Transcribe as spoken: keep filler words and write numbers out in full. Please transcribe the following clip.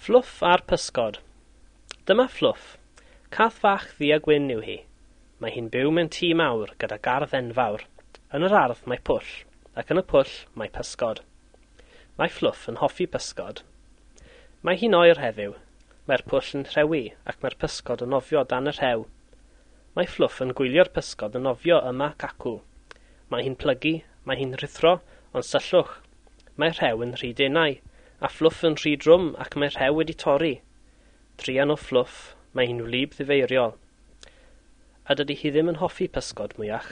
Fflwff a'r pysgod. Dyma Fflwff. Cath fach ddu a gwyn yw hi. Mae hi'n byw mewn tŷ mawr gyda gardd enfawr. Yn yr ardd mae pwll, ac yn y pwll mae pysgod. Mae Fflwff yn hoffi pysgod. Mae hi'n oer heddiw. Mae'r pwll yn rhewi ac mae'r pysgod yn nofio dan y rhew. Mae Fflwff yn gwylio'r pysgod yn nofio yma ac acw. Mae hi'n plygu, mae hi'n rhuthro, ond syllwch, mae'r rhew yn rhy denau, a Fflwff yn rhy drwm ac mae'r rhew wedi torri. Druan o Fflwff, mae hi'n wlyb ddifeiriol. A dydy hi ddim yn hoffi pysgod mwyach.